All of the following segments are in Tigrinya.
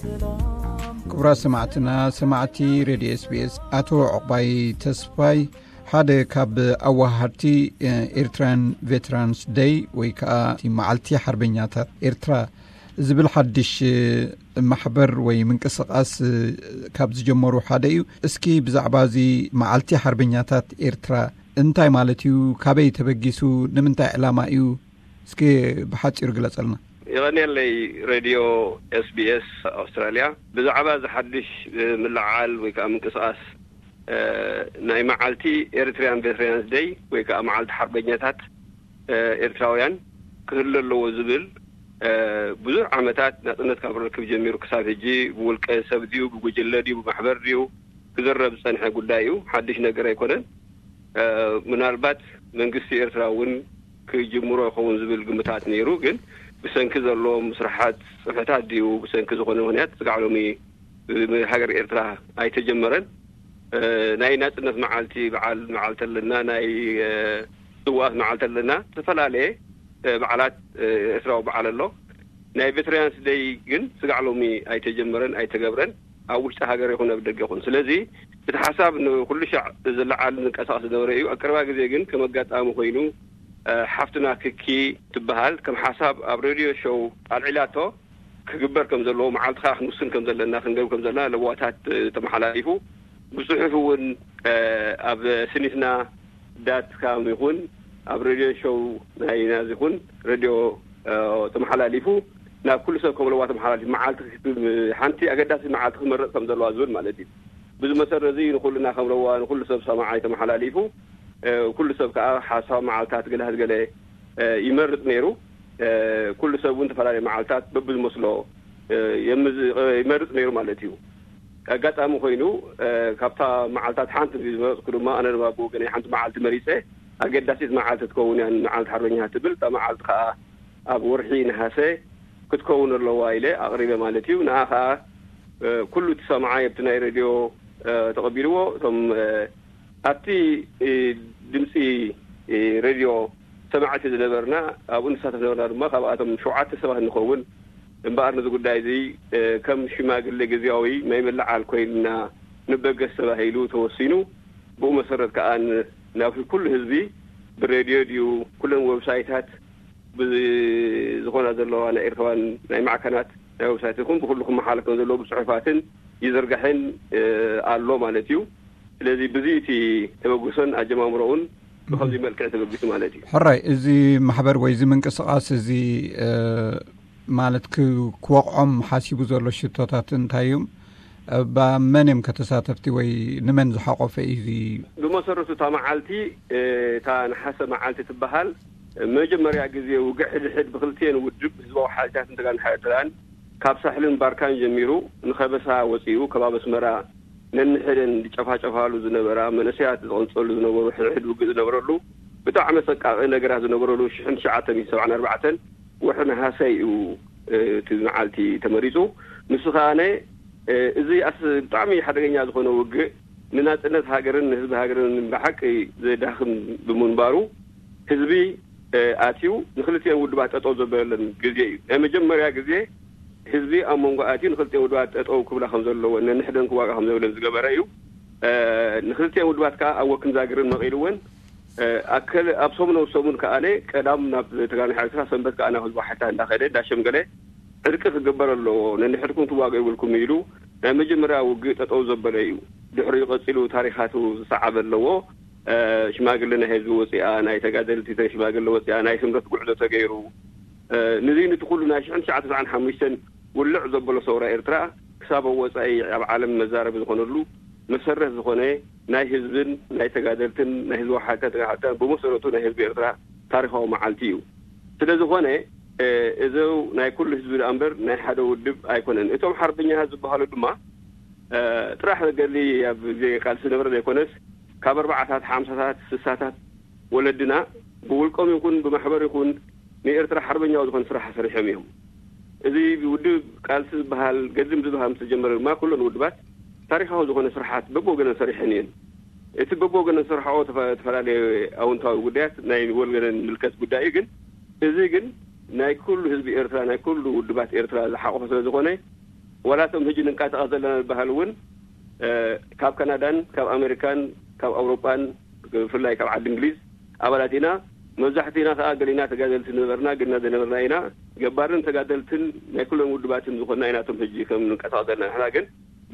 ክቡራት ሰማዕትና፣ ሰማዕቲ ሬድዮ ኤስቢኤስ፣ ኣቶ ዕቑባይ ተስፋይ ሓደ ካብ ኣዋሃድቲ ኤርትራን ቬትራንስ ደይ ወይ ከዓ እቲ መዓልቲ ሓርበኛታት ኤርትራ ዝብል ሓድሽ ማሕበር ወይ ምንቅስቃስ ካብ ዝጀመሩ ሓደ እዩ። እስኪ ብዛዕባ እዚ መዓልቲ ሓርበኛታት ኤርትራ እንታይ ማለት እዩ፣ ካበይ ተበጊሱ፣ ንምንታይ ዕላማ እዩ፣ እስኪ ብሓጺሩ ግለጸልና። ይቐንየለይ። ሬድዮ ኤስቢኤስ ኣውስትራልያ ብዛዕባ እዚ ሓድሽ ምልዓል ወይ ከዓ ምንቅስቃስ ናይ መዓልቲ ኤሪትሪያን ቬትራንስ ደይ ወይ ከዓ መዓልቲ ሓርበኛታት ኤርትራውያን ክህሉ ኣለዎ ዝብል ብዙሕ ዓመታት ናጽነት ካብ ርክብ ጀሚሩ ክሳብ ሕጂ ብውልቀ ሰብ ድዩ፣ ብጉጅለ ድዩ፣ ብማሕበር ድዩ ክዝረብ ዝጸንሐ ጉዳይ እዩ። ሓድሽ ነገር ኣይኮነን። ምናልባት መንግስቲ ኤርትራ እውን ክጅምሮ ይኸውን ዝብል ግምታት ነይሩ። ግን ብሰንኪ ዘለዎም ስራሓት ጽፍሕታት ድዩ ብሰንኪ ዝኾነ ምክንያት ስጋዕ ሎሚ ብሃገር ኤርትራ ኣይተጀመረን። ናይ ናጽነት መዓልቲ በዓል መዓልቲ ኣለና፣ ናይ ስዋኣት መዓልቲ ኣለና፣ ዝተፈላለየ በዓላት ኤርትራዊ በዓል ኣሎ። ናይ ቬትራንስ ደይ ግን ስጋዕ ሎሚ ኣይተጀመረን ኣይተገብረን፣ ኣብ ውሽጢ ሃገር ይኹን ኣብ ደገ ይኹን። ስለዚ እቲ ሓሳብ ንኩሉ ሻዕ ዝለዓል ዝንቀሳቐስ ዝነበረ እዩ። ኣብ ቀረባ ግዜ ግን ከም ኣጋጣሚ ኮይኑ ሓፍትና ክኪ ትበሃል ከም ሓሳብ ኣብ ሬድዮ ሾው ኣልዒላቶ ክግበር ከም ዘለዎ፣ መዓልቲ ከዓ ክንውስን ከም ዘለና፣ ክንገብር ከም ዘለና ለዋታት ተመሓላሊፉ፣ ብጽሑፍ እውን ኣብ ስኒትና ዳት ካም ይኹን ኣብ ሬድዮ ሾው ናይ ናዚ ይኹን ሬድዮ ተመሓላሊፉ፣ ናብ ኩሉ ሰብ ከም ለዋ ተመሓላሊፉ፣ መዓልቲ ሓንቲ ኣገዳሲ መዓልቲ ክመረፅ ከም ዘለዋ ዝብል ማለት እዩ። ብዙ መሰረት እዚ ንኩልና ከም ለዋ ንኩሉ ሰብ ሰማዓይ ተመሓላሊፉ፣ ኩሉ ሰብ ከዓ ሓሳብ መዓልታት ገለ ገለ ይመርፅ ነይሩ። ኩሉ ሰብ እውን ዝተፈላለዩ መዓልታት በብዝመስሎ ይመርፅ ነይሩ ማለት እዩ። ኣጋጣሚ ኮይኑ ካብታ መዓልታት ሓንቲ ዝመረፅኩ ድማ ኣነ ድማ ብወገነይ ሓንቲ መዓልቲ መሪፀ፣ ኣገዳሲት መዓልቲ ትከውን እያ መዓልቲ ሓርበኛ ትብል። እታ መዓልቲ ከዓ ኣብ ወርሒ ነሃሰ ክትከውን ኣለዋ ኢለ ኣቕሪበ ማለት እዩ። ንዓ ከዓ ኩሉ እቲ ሰማዓይ ኣብቲ ናይ ሬድዮ ተቐቢልዎ። እቶም ኣብቲ ድምፂ ሬድዮ ሰማዕቲ ዝነበርና፣ ኣብኡ ንሳተፍ ነበርና ድማ ካብኣቶም ሸውዓተ ሰባት ንኸውን። እምበኣር ነዚ ጉዳይ እዚ ከም ሽማግሌ ግዝያዊ ናይ ምልዓል ኮይንና ንበገስ ተባሂሉ ተወሲኑ። ብኡ መሰረት ከዓ ናብ ኩሉ ህዝቢ ብሬድዮ ድዩ ኩለን ዌብሳይታት ብዝኾና ዘለዋ ናይ ኤርትራውያን ናይ ማዕከናት ናይ ዌብሳይት ይኹን ብኩሉ ክመሓለፍ ከም ዘለዎ ብፅሑፋትን ይዝርጋሕን ኣሎ ማለት እዩ። ስለዚ ብዚ እቲ ተበግሶን ኣጀማምሮውን ብኸምዚ መልክዕ ተበጊሱ ማለት እዩ። ሕራይ፣ እዚ ማሕበር ወይ እዚ ምንቅስቃስ እዚ ማለት ክወቕዖም ሓሲቡ ዘሎ ሽቶታት እንታይ እዮም? ብ መን እዮም ከተሳተፍቲ ወይ ንመን ዝሓቆፈ እዩ እዚ? ብመሰረቱ እታ መዓልቲ እታ ነሓሰ መዓልቲ ትበሃል መጀመርያ ግዜ ውግዕ ሕድሕድ ብክልቲኤን ውድብ ህዝባዊ ሓይልታት ንተጋን ሓይልትራን ካብ ሳሕልን ባርካን ጀሚሩ ንኸበሳ ወፂኡ ከባቢ ኣስመራ ነንሕደን ዝጨፋጨፋሉ ዝነበራ መንእሰያት ዝቐንፀሉ ዝነበሩ ሕድሕድ ውግእ ዝነበረሉ ብጣዕሚ ኣሰቃቂ ነገራት ዝነበረሉ ሽሕን ትሽዓተ ሚእትን ሰብዓን ኣርባዕተን ወርሒ ነሃሰ እዩ እቲ መዓልቲ ተመሪፁ። ንሱ ከዓነ እዚ ኣስ ብጣዕሚ ሓደገኛ ዝኾነ ውግእ ንናፅነት ሃገርን ንህዝቢ ሃገርን ብሓቂ ዘዳኽም ብምንባሩ ህዝቢ ኣትዩ ንክልቲኤን ውድባት ጠጠው ዘበለለን ግዜ እዩ። ናይ መጀመርያ ግዜ ህዝቢ ኣብ መንጎ ኣትዩ ንክልቲኤን ውድባት ጠጠው ክብላ ከም ዘለወን ነንሕደን ክዋጋ ከም ዘብለን ዝገበረ እዩ። ንክልቲኤን ውድባት ከዓ ኣብ ወክን ዛግርን መቒልወን ኣከል ኣብ ሰሙን ኣብ ሰሙን ከዓነ ቀዳም ናብ ተጋዳላይ ሓይልታት ሰንበት ከዓ ናብ ህዝቢ ሓይልታት እንዳኸደ እንዳሸምገለ ዕርቂ ክግበር ኣለዎ። ነንሕድኩም ትዋገ ይብልኩም ኢሉ ናይ መጀመርያ ውግእ ጠጠው ዘበለ እዩ። ድሕሪኡ ቀፂሉ ታሪኻቱ ዝሰዓበ ኣለዎ። ሽማግለ ናይ ህዝቢ ወፂኣ፣ ናይ ተጋደልቲ ሽማግለ ወፂኣ፣ ናይ ስምረት ጉዕዞ ተገይሩ። ንዚ ንቲ ኩሉ ናይ ሽሕን ትሽዓተ ሰብዓን ሓሙሽተን ውልዕ ዘበሎ ሰውራ ኤርትራ ክሳብ ኣብ ወፃኢ ኣብ ዓለም መዛረቢ ዝኾነሉ መሰረት ዝኾነ ናይ ህዝብን ናይ ተጋደልትን ናይ ህዝባዊ ሓይልታት ተጋሓልታ ብመሰረቱ ናይ ህዝቢ ኤርትራ ታሪኻዊ መዓልቲ እዩ። ስለ ዝኾነ እዚ ናይ ኩሉ ህዝቢ ደኣ እምበር ናይ ሓደ ውድብ ኣይኮነን። እቶም ሓርበኛታት ዝበሃሉ ድማ ጥራሕ ገሊ ኣብ ግዜ ቃልሲ ዝነበረ ዘይኮነስ ካብ ኣርባዓታት ሓምሳታት ስሳታት ወለድና ብውልቆም ይኹን ብማሕበር ይኹን ንኤርትራ ሓርበኛዊ ዝኾነ ስራሕ ሰሪሖም እዮም። እዚ ውድብ ቃልሲ ዝበሃል ገድሊ ምስ ዝበሃል ምስ ተጀመረ ድማ ኩለን ውድባት ታሪኻዊ ዝኾነ ስራሓት በብወገነን ሰሪሐን እየን። እቲ በብወገነን ዝሰርሓኦ ተፈላለየ ኣውንታዊ ጉዳያት ናይ ወገነን ምልከት ጉዳይ እዩ። ግን እዚ ግን ናይ ኩሉ ህዝቢ ኤርትራ ናይ ኩሉ ውድባት ኤርትራ ዝሓቆፈ ስለ ዝኾነ ዋላ እቶም ሕጂ ንንቀሳቐስ ዘለና ዝበሃል እውን ካብ ካናዳን ካብ ኣሜሪካን ካብ ኣውሮጳን ብፍላይ ካብ ዓዲ እንግሊዝ ኣባላት ኢና። መብዛሕትና ከዓ ገሊና ተጋደልቲ ዝነበርና ግና ዝነበርና ኢና። ገባርን ተጋደልትን ናይ ኩሎም ውድባትን ዝኾንና ኢና። እቶም ሕጂ ከም ንንቀሳቐስ ዘለና ንሕና ግን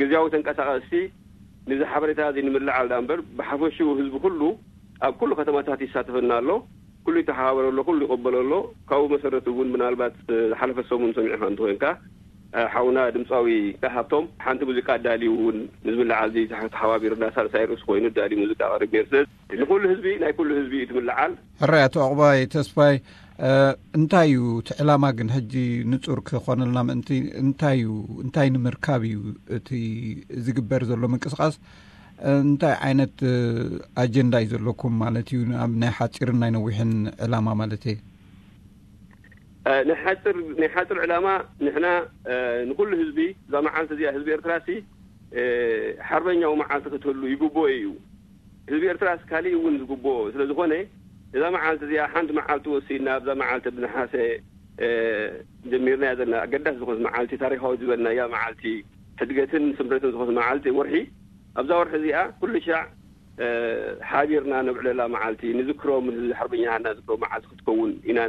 ግዜያዊ ተንቀሳቐስቲ ንዚ ሓበሬታ እዚ ንምልዓል ዳ እምበር ብሓፈሽኡ ህዝቢ ኩሉ ኣብ ኩሉ ከተማታት ይሳተፈና ኣሎ። ኩሉ ይተሓባበር ኣሎ፣ ኩሉ ይቕበሎ ኣሎ። ካብኡ መሰረት እውን ምናልባት ዝሓለፈ ሰሙን ሰሚዕኻ እንተኮይንካ ሓውና ድምፃዊ ሃብቶም ሓንቲ ሙዚቃ ኣዳልዩ እውን ንዝምልዓል እዚ ተሓባቢርና ሳልሳይ ርእሲ ኮይኑ ኣዳልዩ ሙዚቃ ቀሪብ ነይሩ። ስለዚ ንኩሉ ህዝቢ ናይ ኩሉ ህዝቢ እዩ ትምልዓል። ሕራይ ኣቶ ዕቑባይ ተስፋይ፣ እንታይ እዩ እቲ ዕላማ ግን ሕጂ ንጹር ክኾነልና ምእንቲ እንታይ እዩ እንታይ ንምርካብ እዩ እቲ ዝግበር ዘሎ ምንቅስቃስ? እንታይ ዓይነት ኣጀንዳ እዩ ዘለኩም ማለት እዩ? ኣብ ናይ ሓፂርን ናይ ነዊሕን ዕላማ ማለት እየ። ናይ ሓፅር ዕላማ ንሕና ንኩሉ ህዝቢ እዛ መዓልቲ እዚኣ ህዝቢ ኤርትራ ሲ ሓርበኛዊ መዓልቲ ክትህሉ ይግብኦ እዩ። ህዝቢ ኤርትራ ስ ካሊእ እውን ዝግብኦ ስለዝኾነ እዛ መዓልቲ እዚኣ ሓንቲ መዓልቲ ወሲና ኣብዛ መዓልቲ ብነሓሰ ጀሚርና ዘለና ኣገዳሲ ዝኾነት መዓልቲ ታሪካዊ ዝበልናያ መዓልቲ ሕድገትን ስምረትን ዝኾነት መዓልቲ ወርሒ ኣብዛ ወርሒ እዚኣ ኩሉ ሻዕ ሓቢርና ነብዕለላ መዓልቲ ንዝክሮም ሓርበኛና ዝክሮም መዓልቲ ክትከውን ኢና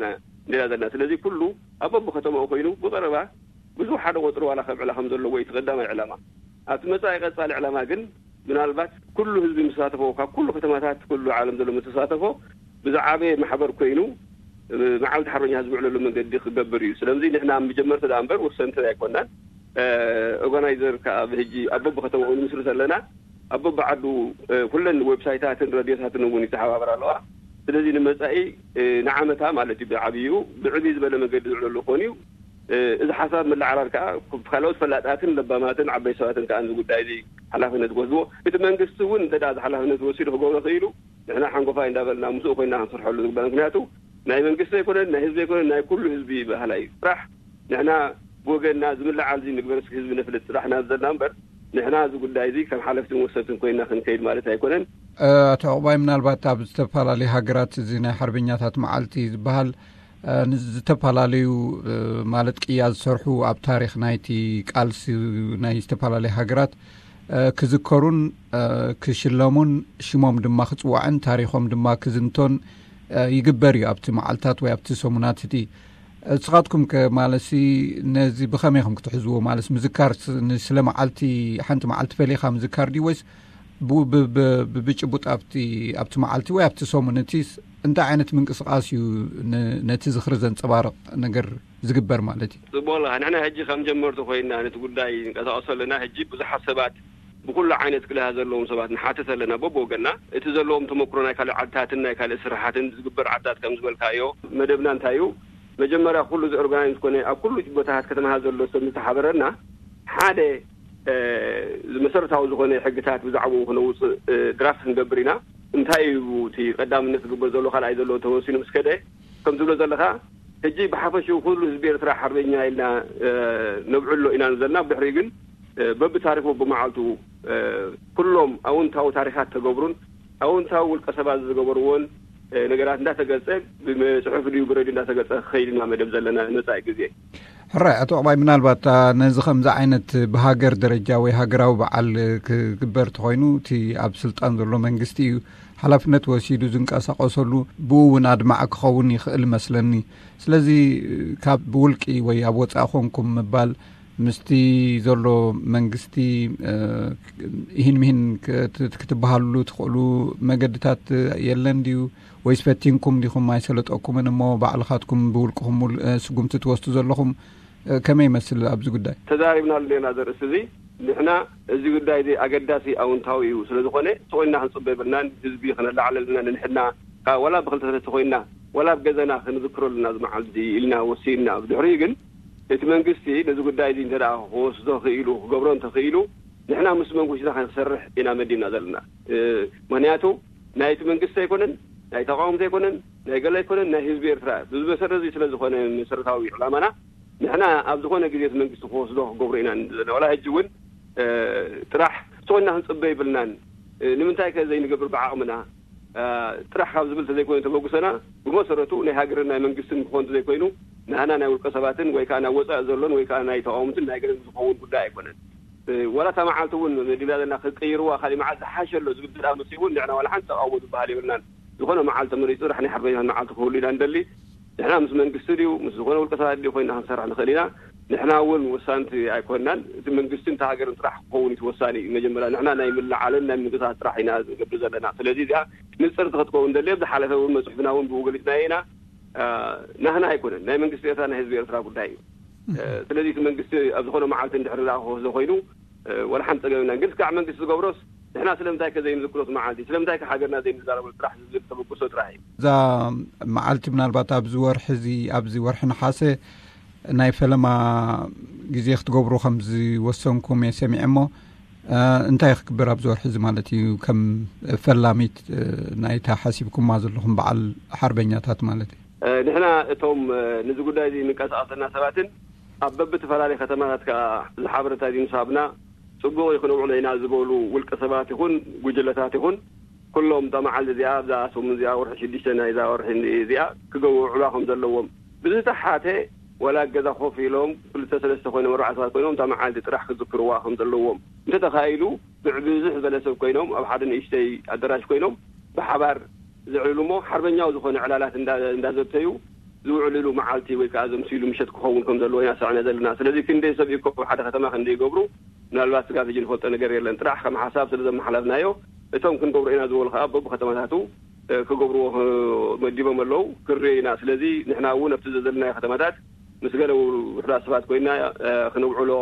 ንደላ ዘለና። ስለዚ ኩሉ ኣብ በብከተማኡ ኮይኑ ብቀረባ ብዙሕ ሓደ ቆፅሪ ዋላ ከብዕላ ከም ዘለዎ እዩ እቲ ቀዳማይ ዕላማ። ኣብቲ መፃኢ ቀፃሊ ዕላማ ግን ምናልባት ኩሉ ህዝቢ ምሳተፎ ካብ ኩሉ ከተማታት ኩሉ ዓለም ዘሎ ምተሳተፎ ብዝዓበየ ማሕበር ኮይኑ መዓልቲ ሓርበኛ ህዝቢ ዕለሉ መንገዲ ክገብር እዩ። ስለምዚ ንሕና መጀመርቲ ዳ እምበር ወሰንቲ ኣይኮናን። ኦርጋናይዘር ከዓ ብሕጂ ኣብ በብከተማኡ ንምስርት ኣለና። ኣብ በብዓዱ ኩለን ዌብሳይታትን ረድዮታትን እውን ይተሓባበር ኣለዋ። ስለዚ ንመፃኢ ንዓመታ ማለት እዩ ብዓብዩ ብዕብይ ዝበለ መንገዲ ዝዕለሉ ክኾን እዩ። እዚ ሓሳብ ምልዓላል ከዓ ካልኦት ፈላጣትን ለባማትን ዓበይ ሰባትን ከዓ እዚ ጉዳይ እዚ ሓላፍነት ክወስድዎ እቲ መንግስቲ እውን እንተ እዚ ሓላፍነት ወሲዱ ክገብሮ ክኢሉ ንሕና ሓንጎፋይ እንዳበልና ምስኡ ኮይና ክንሰርሐሉ ዝግባእ። ምክንያቱ ናይ መንግስቲ ኣይኮነን ናይ ህዝቢ ኣይኮነን ናይ ኩሉ ህዝቢ ባህላ እዩ። ስራሕ ንሕና ብወገንና ዝምልዓል እዚ ንግበር እስኪ ህዝቢ ነፍልጥ ስራሕ ናብ ዘለና እምበር ንሕና እዚ ጉዳይ እዚ ከም ሓለፍትን ወሰንትን ኮይና ክንከይድ ማለት ኣይኮነን። ኣቶ ዕቑባይ ምናልባት ኣብ ዝተፈላለዩ ሃገራት እዚ ናይ ሓርበኛታት መዓልቲ ዝበሃል ንዝተፈላለዩ ማለት ቅያ ዝሰርሑ ኣብ ታሪክ ናይቲ ቃልሲ ናይ ዝተፈላለዩ ሃገራት ክዝከሩን ክሽለሙን ሽሞም ድማ ክፅዋዕን ታሪኮም ድማ ክዝንቶን ይግበር እዩ ኣብቲ መዓልታት ወይ ኣብቲ ሰሙናት እቲ። እስኻትኩም ከ ማለሲ ነዚ ብኸመይ ኢኹም ክትሕዝዎ? ማለት ምዝካር ስለ መዓልቲ ሓንቲ መዓልቲ ፈሊኻ ምዝካር ድዩ ወይስ ብጭቡጥ ኣብቲ ኣብቲ መዓልቲ ወይ ኣብቲ ሰሙን እቲ እንታይ ዓይነት ምንቅስቃስ እዩ ነቲ ዝኽሪ ዘንፀባርቕ ነገር ዝግበር ማለት እዩ? ጽቡቕ ኣለኻ። ንሕና ሕጂ ከም ጀመርቲ ኮይና ነቲ ጉዳይ ንቀሳቀሶ ኣለና። ሕጂ ብዙሓት ሰባት ብኩሉ ዓይነት ክልሃ ዘለዎም ሰባት ንሓትት ኣለና በብወገና። እቲ ዘለዎም ተመክሮ ናይ ካልእ ዓድታትን ናይ ካልእ ስራሓትን ዝግበር ዓድታት ከም ዝበልካዮ መደብና እንታይ እዩ? መጀመርያ ኩሉ ዝኦርጋናይዝ ኮነ ኣብ ኩሉ ቦታታት ከተማታት ዘሎ ሰብ ዝተሓበረና ሓደ መሰረታዊ ዝኾነ ሕግታት ብዛዕባኡ ክነውፅእ ድራፍት ክንገብር ኢና። እንታይ እዩ እቲ ቀዳምነት ዝግበር ዘሎ ካልኣይ ዘሎ ተወሲኑ ምስ ከደ ከም ዝብሎ ዘለካ ሕጂ ብሓፈሽኡ ኩሉ ህዝቢ ኤርትራ ሓርበኛ ኢልና ነብዕሎ ኢና ዘለና። ብድሕሪኡ ግን በብታሪኹ ብመዓልቱ ኩሎም ኣውንታዊ ታሪካት ተገብሩን ኣውንታዊ ውልቀ ሰባት ዝገበርዎን ነገራት እንዳተገልጸ ብፅሑፍ ድዩ ብረድዮ እንዳተገልጸ ክኸይድ ኢና መደብ ዘለና ንመፃኢ ግዜ። ሕራይ ኣቶ ዕባይ ምናልባት ነዚ ከምዚ ዓይነት ብሃገር ደረጃ ወይ ሃገራዊ በዓል ክግበር ተኮይኑ እቲ ኣብ ስልጣን ዘሎ መንግስቲ እዩ ሓላፍነት ወሲዱ ዝንቀሳቀሰሉ ብኡ እውን ኣድማዕ ክኸውን ይኽእል መስለኒ። ስለዚ ካብ ብውልቂ ወይ ኣብ ወፃኢ ኮንኩም ምባል ምስቲ ዘሎ መንግስቲ ይህን ምሂን ክትበሃሉሉ ትኽእሉ መገድታት የለን ድዩ? ወይስ ፈቲንኩም ዲኹም ኣይሰለጠኩምን እሞ ባዕልኻትኩም ብውልቅኹም ስጉምቲ ትወስዱ ዘለኹም? ከመይ ይመስል ኣብዚ ጉዳይ? ተዛሪብናሉ ኔና ዘርእስቲ እዚ ንሕና እዚ ጉዳይ እዚ ኣገዳሲ ኣውንታዊ እዩ ስለዝኾነ ተኾይንና ክንፅበ የብልናን። ህዝቢ ክነላዕለልና ንንሕና ወላ ብክልተ ተኾይንና ወላ ብገዘና ክንዝክረሉና ዝመዓል እዚ ኢልና ወሲንና። ብድሕሪኡ ግን እቲ መንግስቲ ነዚ ጉዳይ እዚ እንተ ክወስዶ ክኢሉ ክገብሮ እንተኽኢሉ ንሕና ምስ መንግስትና ክንሰርሕ ኢና መዲብና ዘለና። ምክንያቱ ናይቲ መንግስቲ ኣይኮነን ናይ ተቃወምቲ ኣይኮነን ናይ ገለ ኣይኮነን ናይ ህዝቢ ኤርትራ ብዝመሰረት እዚ ስለዝኾነ መሰረታዊ ዕላማና ንሕና ኣብ ዝኾነ ግዜ እቲ መንግስቲ ክወስዶ ክገብሮ ኢና ዘለና። ዋላ ሕጂ እውን ጥራሕ ተኾይንና ክንፅበ ይብልናን ንምንታይ ከ ዘይንገብር ብዓቕምና ጥራሕ ካብ ዝብል ተዘይኮይኑ ተበግሶና ብመሰረቱ ናይ ሃገርን ናይ መንግስትን ክኾን ተዘይኮይኑ ናህና ናይ ውልቀ ሰባትን ወይ ከዓ ናብ ወፃኢ ዘሎን ወይ ከዓ ናይ ተቃወምትን ናይ ገለን ዝኸውን ጉዳይ ኣይኮነን። ወላ እታ መዓልቲ እውን መዲብና ዘለና ክቀይርዋ ካሊእ መዓልቲ ዝሓሸ ኣሎ ዝብል ደኣ መሲ እውን ንዕና ዋላ ሓንቲ ተቃውሞ ዝበሃል የብልናን። ዝኾነ መዓልቲ መሪፁ ጥራሕ ናይ ሓርበኛታት መዓልቲ ክህሉ ኢና ንደሊ። ንሕና ምስ መንግስቲ ድዩ ምስ ዝኾነ ውልቀ ሰባት ድዩ ኮይና ክንሰርሕ ንኽእል ኢና። ንሕና እውን ወሳንቲ ኣይኮንናን። እቲ መንግስትን እቲ ሃገርን ጥራሕ ክኸውን እቲ ወሳኒ እዩ። መጀመርያ ንሕና ናይ ምልዓልን ናይ ምንቅስቃስ ጥራሕ ኢና ዝገብር ዘለና። ስለዚ እዚኣ ንፅርቲ ክትከውን ደሊ። ኣብ ዝሓለፈ እውን መፅሑፍና እውን ብኡ ገሊፅናዮ ኢና። ናህና ኣይኮነን፣ ናይ መንግስቲ ኤርትራ ናይ ህዝቢ ኤርትራ ጉዳይ እዩ። ስለዚ እቲ መንግስቲ ኣብ ዝኾነ መዓልቲ እንድሕር ዳ ክወስዶ ኮይኑ ወላ ሓንቲ ፀገም የብልናን። ግን እስካዕ መንግስቲ ዝገብሮስ ንሕና ስለምንታይ ከ ዘይንዝክሮት መዓልቲ፣ ስለምንታይ ከ ሃገርና ዘይንዛረበሉ ጥራሕ ዝብል ተበግሶ ጥራሕ እዩ። እዛ መዓልቲ ምናልባት ኣብዚ ወርሒ እዚ ኣብዚ ወርሒ ነሓሰ ናይ ፈለማ ግዜ ክትገብሩ ከም ዝወሰንኩም እየ ሰሚዐ እሞ እንታይ ክግበር ኣብዚ ወርሒ እዚ ማለት እዩ? ከም ፈላሚት ናይታ ሓሲብኩማ ዘለኹም በዓል ሓርበኛታት ማለት እዩ። ንሕና እቶም ንዚ ጉዳይ እዚ ንንቀሳቐሰና ሰባትን ኣብ በብተፈላለየ ከተማታት ከዓ እዚ ሓበሬታ እዚ ምስ ሃብና ፅቡቕ እዩ ክንውዕሎ ኢና ዝበሉ ውልቀ ሰባት ይኹን ጉጅለታት ይኹን ኩሎም እታ መዓልቲ እዚኣ ኣብዛ ሰሙን እዚኣ ወርሒ ሽዱሽተ ናይዛ ወርሒ እዚኣ ክገብሩ ውዕላ ከም ዘለዎም ብዝተሓተ ወላ ገዛ ኮፍ ኢሎም ክልተ ሰለስተ ኮይኖም ኣርባዕተ ሰባት ኮይኖም እታ መዓልቲ ጥራሕ ክዝክርዋ ከም ዘለዎም እንተተኻኢሉ ብብዝሕ ዝበለ ሰብ ኮይኖም ኣብ ሓደ ንእሽተይ ኣደራሽ ኮይኖም ብሓባር ዘዕልሉ እሞ ሓርበኛዊ ዝኾነ ዕላላት እንዳ- እንዳዘተዩ ዝውዕልሉ መዓልቲ ወይ ከዓ ዘምስሉ ምሸት ክኸውን ከም ዘለዎ ኢና ሰምዕና ዘለና። ስለዚ ክንደይ ሰብ ይእከቡ ሓደ ከተማ ክንደይ ይገብሩ ምናልባት ስጋብ ሕጂ ንፈልጦ ነገር የለን። ጥራሕ ከም ሓሳብ ስለ ዘመሓላፍናዮ እቶም ክንገብሮ ኢና ዝበሉ ከዓ በብከተማታቱ ክገብርዎ መዲቦም ኣለዉ ክንሪኦ ኢና። ስለዚ ንሕና እውን ኣብቲ ዘለናዮ ከተማታት ምስ ገለ ውሑዳት ሰባት ኮይና ክነውዕሎ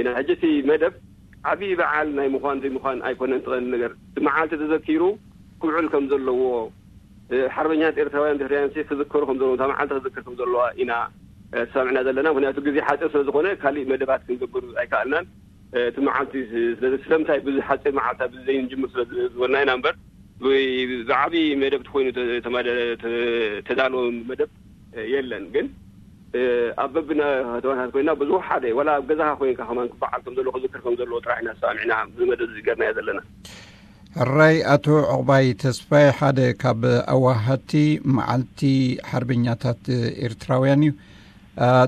ኢና። ሕጂ እቲ መደብ ዓብዪ በዓል ናይ ምዃን ዘይምዃን ኣይኮነን። እቲ ቀንዲ ነገር እቲ መዓልቲ ተዘኪሩ ክውዕል ከም ዘለዎ ሓርበኛታት ኤርትራውያን ድሕሪያን ክዝከሩ ከም ዘለዎም እታ መዓልቲ ክዝከር ከም ዘለዋ ኢና ተሰማሚዕና ዘለና። ምክንያቱ ግዜ ሓፂር ስለ ዝኾነ ካሊእ መደባት ክንገብር ኣይከኣልናን። እቲ መዓልቲ ስለዚ ስለምንታይ ብዙ ሓፂር መዓልታ ብዙ ዘይንጅምር ስለ ዝበልና ኢና እምበር ብዓብዪ መደብ ተኮይኑ ተዳለወ መደብ የለን። ግን ኣብ በብና ከተማታት ኮይና ብዙ ሓደ ወላ ኣብ ገዛኻ ኮይንካ ከማን ክበዓል ከም ዘለዎ ክዝክር ከም ዘለዎ ጥራሕ ኢና ተሰማሚዕና ብመደብ ዝገርናዮ ዘለና። ሕራይ ኣቶ ዕቑባይ ተስፋይ ሓደ ካብ ኣዋሃድቲ መዓልቲ ሓርበኛታት ኤርትራውያን እዩ።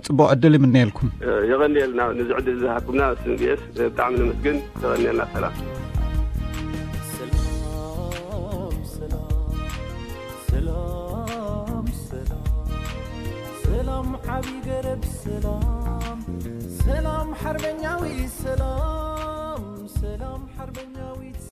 ጽቡቕ ዕድል ይምነየልኩም። የቐንየልና ንዚ ዕድል ዝሃብኩምና ስንግስ ብጣዕሚ ነመስግን። የቐንየልና። ሰላም። ሰላም ሰላም ሰላም ሰላም ዓቢ ገረብ ሰላም ሰላም ሓርበኛዊ ሰላም ሰላም ሓርበኛዊት